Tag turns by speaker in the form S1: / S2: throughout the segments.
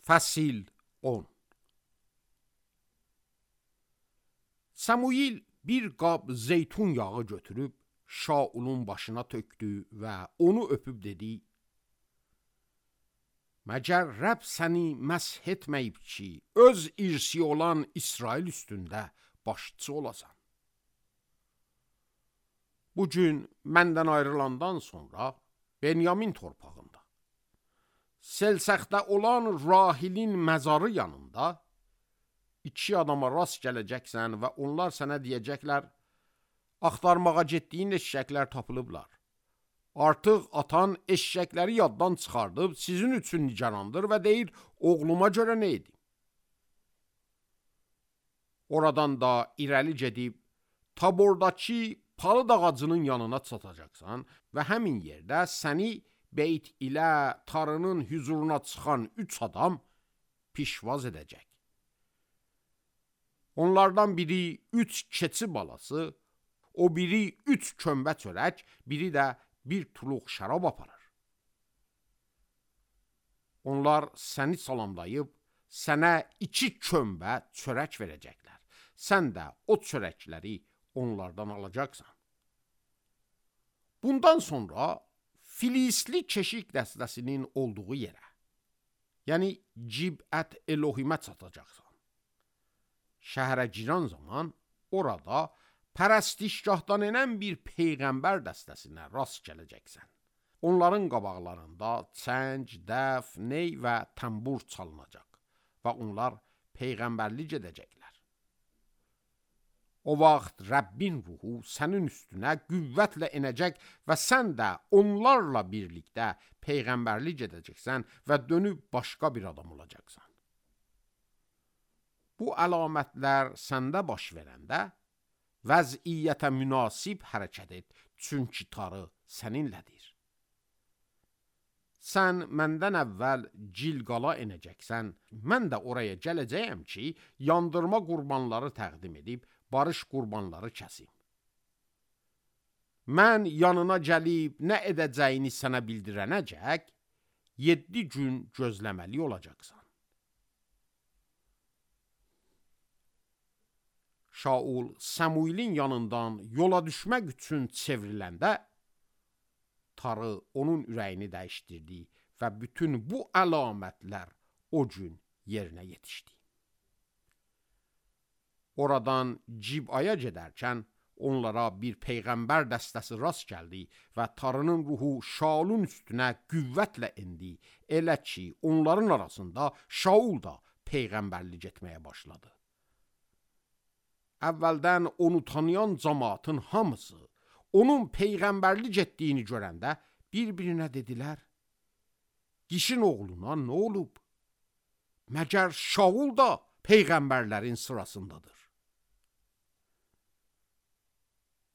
S1: Fəsil 10. Samuil bir qab zeytun yağı götürüb Şaulun başına tökdü və onu öpüb dedi: Məgər Rəbb səni məsh etməyib ki, öz irsi olan İsrail üstündə başçı olasan. Bugün məndən ayrılandan sonra Benyamin torpağında, Selsəxdə olan Rahilin məzarı yanında 2 adama rast gələcəksən və onlar sənə deyəcəklər: axtarmağa getdiyin eşşəklər tapılıblar. Artıq atan eşşəkləri yaddan çıxardıb sizin üçün nigarandır və deyir: oğluma görə nə edim? Oradan da irəli gedib Tabordakı palıd ağacının yanına çatacaqsan və həmin yerdə səni Beyt ilə tarının hüzuruna çıxan 3 adam pişvaz edəcək. Onlardan biri 3 keçi balası, o biri 3 kömbə çörək, biri də bir tuluq şərab aparır. Onlar səni salamlayıb, sənə 2 kömbə çörək verəcəklər. Sən də o çörəkləri onlardan alacaqsan. Bundan sonra Filistli keşik dəstəsinin olduğu yerə, yəni Cibət Elohimə çatacaqsan. Şəhərə giran zaman orada pərəstişgahdan enən bir peyğəmbər dəstəsinə rast gələcəksən. Onların qabaqlarında çəng, dəf, ney və təmbur çalınacaq və onlar peyğəmbərlik edəcəklər. O vaxt Rəbbin ruhu sənin üstünə qüvvətlə enəcək və sən də onlarla birlikdə peyğəmbərlik edəcəksən və dönüb başqa bir adam olacaqsan. Bu əlamətlər səndə baş verəndə vəziyyətə münasib hərəkət et, çünki tarı səninlədir. Sən məndən əvvəl Cilqala enəcəksən, mən də oraya gələcəyəm ki, yandırma qurbanları təqdim edib, barış qurbanları kəsim. Mən yanına gəlib nə edəcəyini sənə bildirənəcək, 7 gün gözləməli olacaqsan. Şaul Samuilin yanından yola düşmək üçün çevriləndə, tarı onun ürəyini dəyişdirdi və bütün bu əlamətlər o gün yerinə yetişdi. Oradan Cibaya gedərkən onlara bir peyğəmbər dəstəsi rast gəldi və tarının ruhu Şaulun üstünə qüvvətlə endi, elə ki, onların arasında Şaul da peyğəmbərlik etməyə başladı. Əvvəldən onu tanıyan cəmaatın hamısı onun peyğəmbərlik etdiyini görəndə bir-birinə dedilər: Kişin oğluna nə olub? Məgər Şaul da peyğəmbərlərin sırasındadır?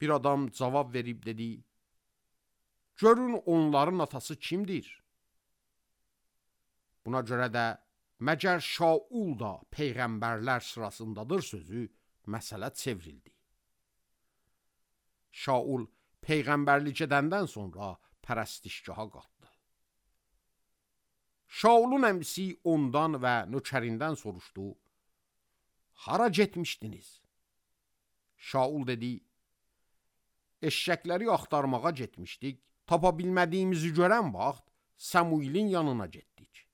S1: Bir adam cavab verib dedi: görün onların atası kimdir? Buna görə də məgər Şaul da peyğəmbərlər sırasındadır sözü məsələ çevrildi. Şaul peyğəmbərlik edəndən sonra pərəstişgaha qalxdı. Şaulun əmisi ondan və nökərindən soruşdu: hara getmişdiniz? Şaul dedi: eşşəkləri axtarmağa getmişdik, tapa bilmədiyimizi görən vaxt Samuilin yanına getdik.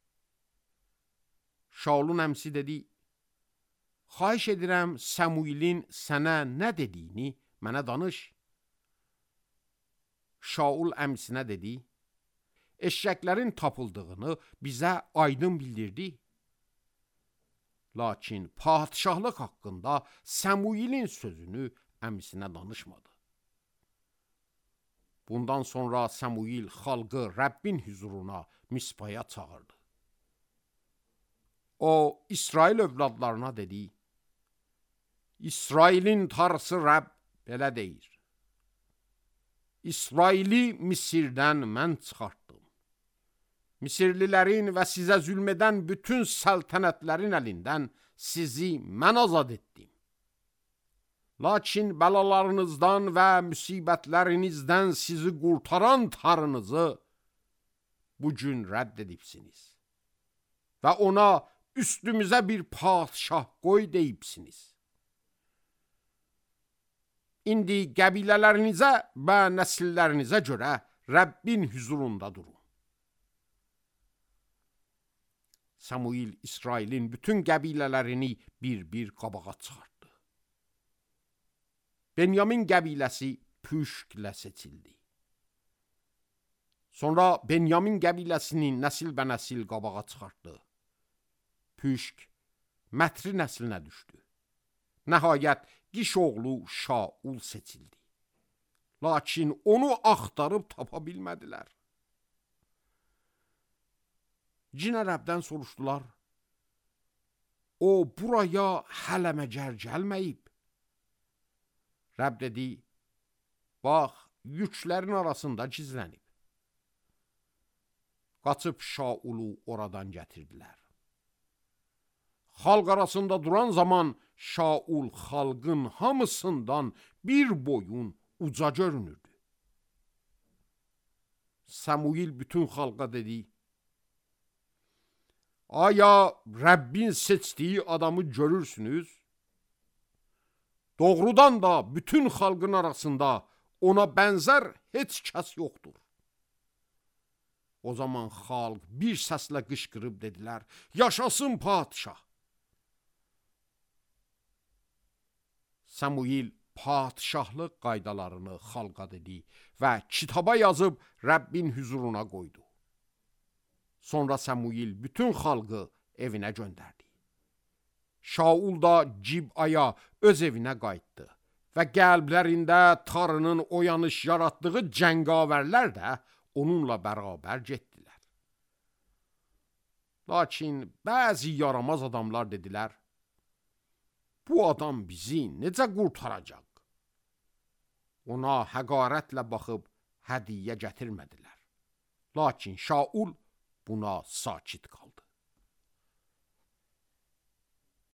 S1: Şaulun əmisi dedi: xahiş edirəm Samuilin sənə nə dediyini mənə danış. Şaul əmisinə dedi: eşşəklərin tapıldığını bizə aydın bildirdi. Lakin padişahlıq haqqında Samuilin sözünü əmisinə danışmadı. Bundan sonra Samuil xalqı Rəbbin hüzuruna Mispaya çağırdı. O, İsrail övladlarına dedi: İsrailin tarısı Rəbb belə deyir: İsraili Misirdən mən çıxartdım. Misirlilərin və sizə zülm edən bütün səltənətlərin əlindən sizi mən azad etdim. Lakin bəlalarınızdan və müsibətlərinizdən sizi qurtaran tarınızı bugün rədd edibsiniz. və ona üstümüzə bir padşah qoy deyibsiniz. İndi qəbilələrinizə və nəsillərinizə görə Rəbbin huzurunda durun. Samuil İsrailin bütün qəbilələrini bir-bir qabağa çıxartdı. Benyamin qəbiləsi püşklə seçildi. Sonra Benyamin qəbiləsinin nəsil bə nəsil qabağa çıxartdı. Püşk Mətri nəslinə düşdü. Nəhayət Qiş oğlu Şaul seçildi. Lakin onu axtarıb tapa bilmədilər. Cin Ərəbdən soruşdular. O buraya hələ məcər gəlməyib. Rəbb dedi, bax, yüklərin arasında gizlənib. Qaçıb Şaulu oradan gətirdilər. Xalq arasında duran zaman Şaul xalqın hamısından bir boyun uca görünürdü. Samuil bütün xalqa dedi, aya Rəbbin seçdiyi adamı görürsünüz? Doğrudan da bütün xalqın arasında ona bənzər heç kəs yoxdur. O zaman xalq bir səslə qışqırıb dedilər, yaşasın padşah. Samuil padşahlıq qaydalarını xalqa dedi və kitaba yazıb Rəbbin huzuruna qoydu. Sonra Samuil bütün xalqı evinə göndərdi. Şaul da Cibaya öz evinə qayıtdı və qəlblərində Tanrının oyanış yaratdığı cəngavərlər də onunla bərabər getdilər. Lakin bəzi yaramaz adamlar dedilər, bu adam bizi necə qurtaracaq? Ona həqarətlə baxıb hədiyyə gətirmədilər. Lakin Şaul buna sakit qaldı.